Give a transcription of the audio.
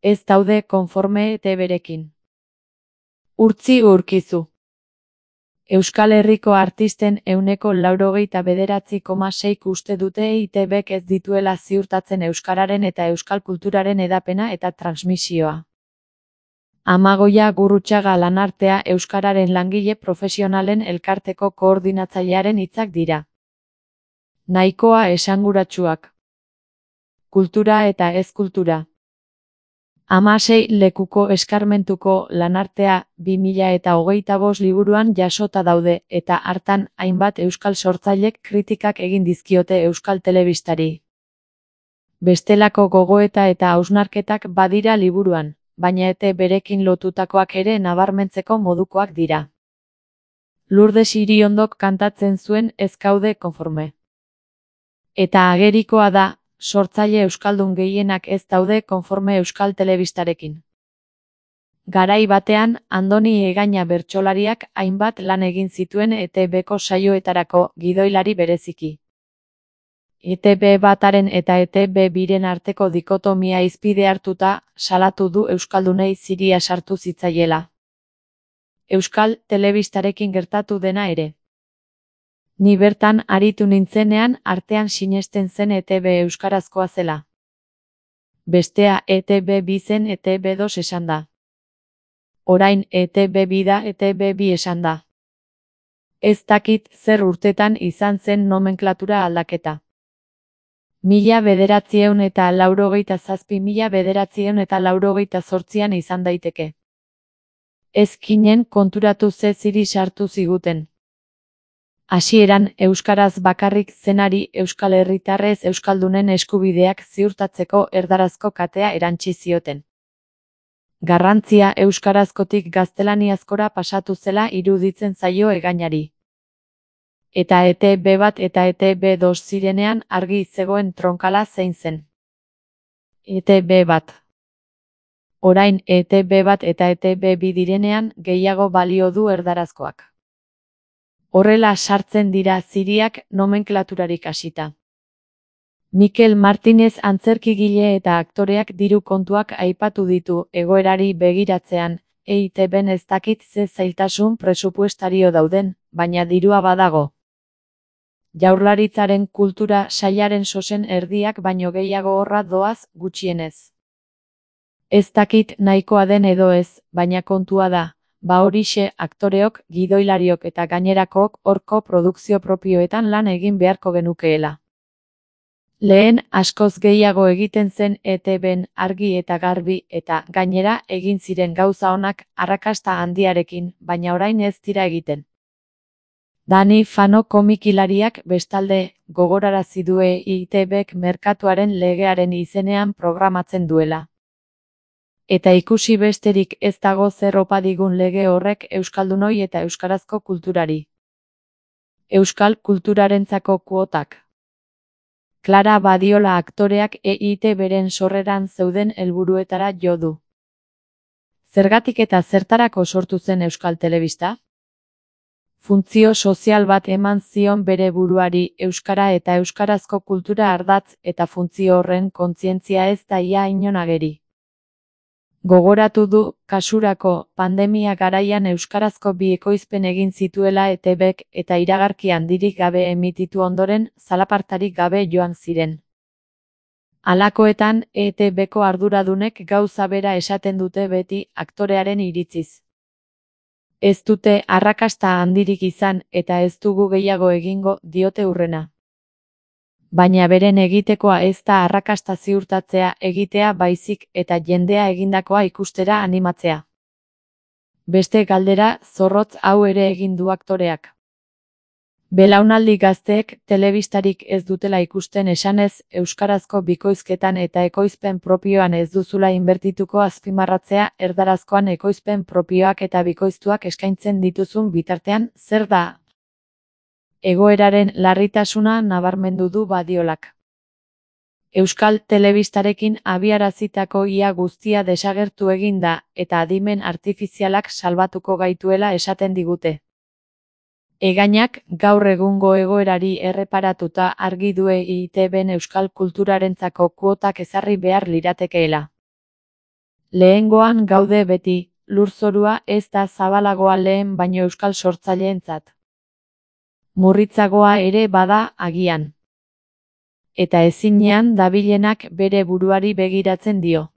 ez daude konforme ETBrekin. Urtzi urkizu. Euskal Herriko artisten 99,9% uste dute EITBek ez dituela ziurtatzen euskararen eta euskal kulturaren hedapena eta transmisioa. Amagoia Gurrutxaga Lanartea euskararen langile profesionalen elkarteko koordinatzailearen hitzak dira. Nahikoa esanguratsuak. Kultura eta ez kultura. 16 lekuko eskarmentuko Lanartea 2025 liburuan jasota daude eta hartan hainbat euskal sortzailek kritikak egin dizkiote euskal telebistari. Bestelako gogoeta eta hausnarketak badira liburuan, baina ETBrekin lotutakoak ere nabarmentzeko modukoak dira. Lourdes Iriondok kantatzen zuen ez gaude konforme. Eta agerikoa da, sortzaile euskaldun gehienak ez daude konforme euskal telebistarekin. Garai batean, Andoni Egaña bertsolariak hainbat lan egin zituen ETBko saioetarako gidoilari bereziki. ETB bataren eta ETB biren arteko dikotomia hizpide hartuta, salatu du euskaldunei ziria sartu zitzaiela. Euskal telebistarekin gertatu dena ere. Ni bertan aritu nintzenean artean sinesten zen ETB euskarazkoa zela. Bestea ETB2 zen ETB2 esan da. Orain ETB2 da ETB2 esan da. Ez dakit zer urtetan izan zen nomenklatura aldaketa. 1987-1988an izan daiteke. Ezkinen konturatu ze ziri sartu ziguten. Hasieran euskaraz bakarrik zenari euskal herritarrez euskaldunen eskubideak ziurtatzeko erdarazko katea erantsi zioten. Garrantzia euskarazkotik gaztelaniazkora pasatu zela iruditzen zaio Egañari. Eta ETB bat eta ETB2 zirenean argi zegoen tronkala zein zen. ETB bat. Orain ETB bat eta ETB2 direnean gehiago balio du erdarazkoak. Horrela sartzen dira ziriak nomenklaturarik hasita. Mikel Martinez antzerkigile eta aktoreak diru kontuak aipatu ditu egoerari begiratzean, EITBen ez dakit ze zailtasun presupuestario dauden, baina dirua badago. Jaurlaritzaren kultura sailaren sosen erdiak baino gehiago horra doaz gutxienez. Ez dakit nahikoa den edo ez, baina kontua da. Horixe aktoreok, gidoilariok eta gainerakook horko produkzio propioetan lan egin beharko genukeela. Lehen askoz gehiago egiten zen ETBen argi eta garbi eta gainera egin ziren gauza onak arrakasta handiarekin, baina orain ez dira egiten. Dani Fano komikilariak bestalde gogorarazi du EITBek merkatuaren legearen izenean programatzen duela. Eta ikusi besterik ez dago zer opa digun lege horrek euskaldunoi eta euskarazko kulturari. Euskal kulturarentzako kuotak. Clara Badiola aktoreak EITBren sorreran zeuden helburuetara jo du. Zergatik eta zertarako sortu zen euskal telebista? Funtzio sozial bat eman zion bere buruari euskara eta euskarazko kultura ardatz eta funtzio horren kontzientzia ez da ia inon ageri. Gogoratu du, kasurako, pandemia garaian euskarazko bi ekoizpen egin zituela ETBek eta iragarki handirik gabe emititu ondoren, zalapartarik gabe joan ziren. Halakoetan, ETBko arduradunek gauza bera esaten dute beti aktorearen iritziz. Ez dute arrakasta handirik izan eta ez dugu gehiago egingo diote hurrena. Baina beren egitekoa ez da arrakasta ziurtatzea egitea baizik eta jendea egindakoa ikustera animatzea. Beste galdera zorrotz hau ere egin du aktoreak. Belaunaldi gazteek telebistarik ez dutela ikusten esanez euskarazko bikoizketan eta ekoizpen propioan ez duzula inbertituko azpimarratzea erdarazkoan ekoizpen propioak eta bikoiztuak eskaintzen dituzun bitartean zer da? Egoeraren larritasuna nabarmendu du Badiolak. Euskal telebistarekin abiarazitako ia guztia desagertu egin da eta adimen artifizialak salbatuko gaituela esaten digute. Egañak gaur egungo egoerari erreparatuta argi du EITBen euskal kulturarentzako kuotak ezarri behar liratekeela. Lehengoan gaude beti, lurzorua ez da zabalagoa lehen baino euskal sortzaileentzat. Murritzagoa ere bada agian. Eta ezinean dabilenak bere buruari begiratzen dio.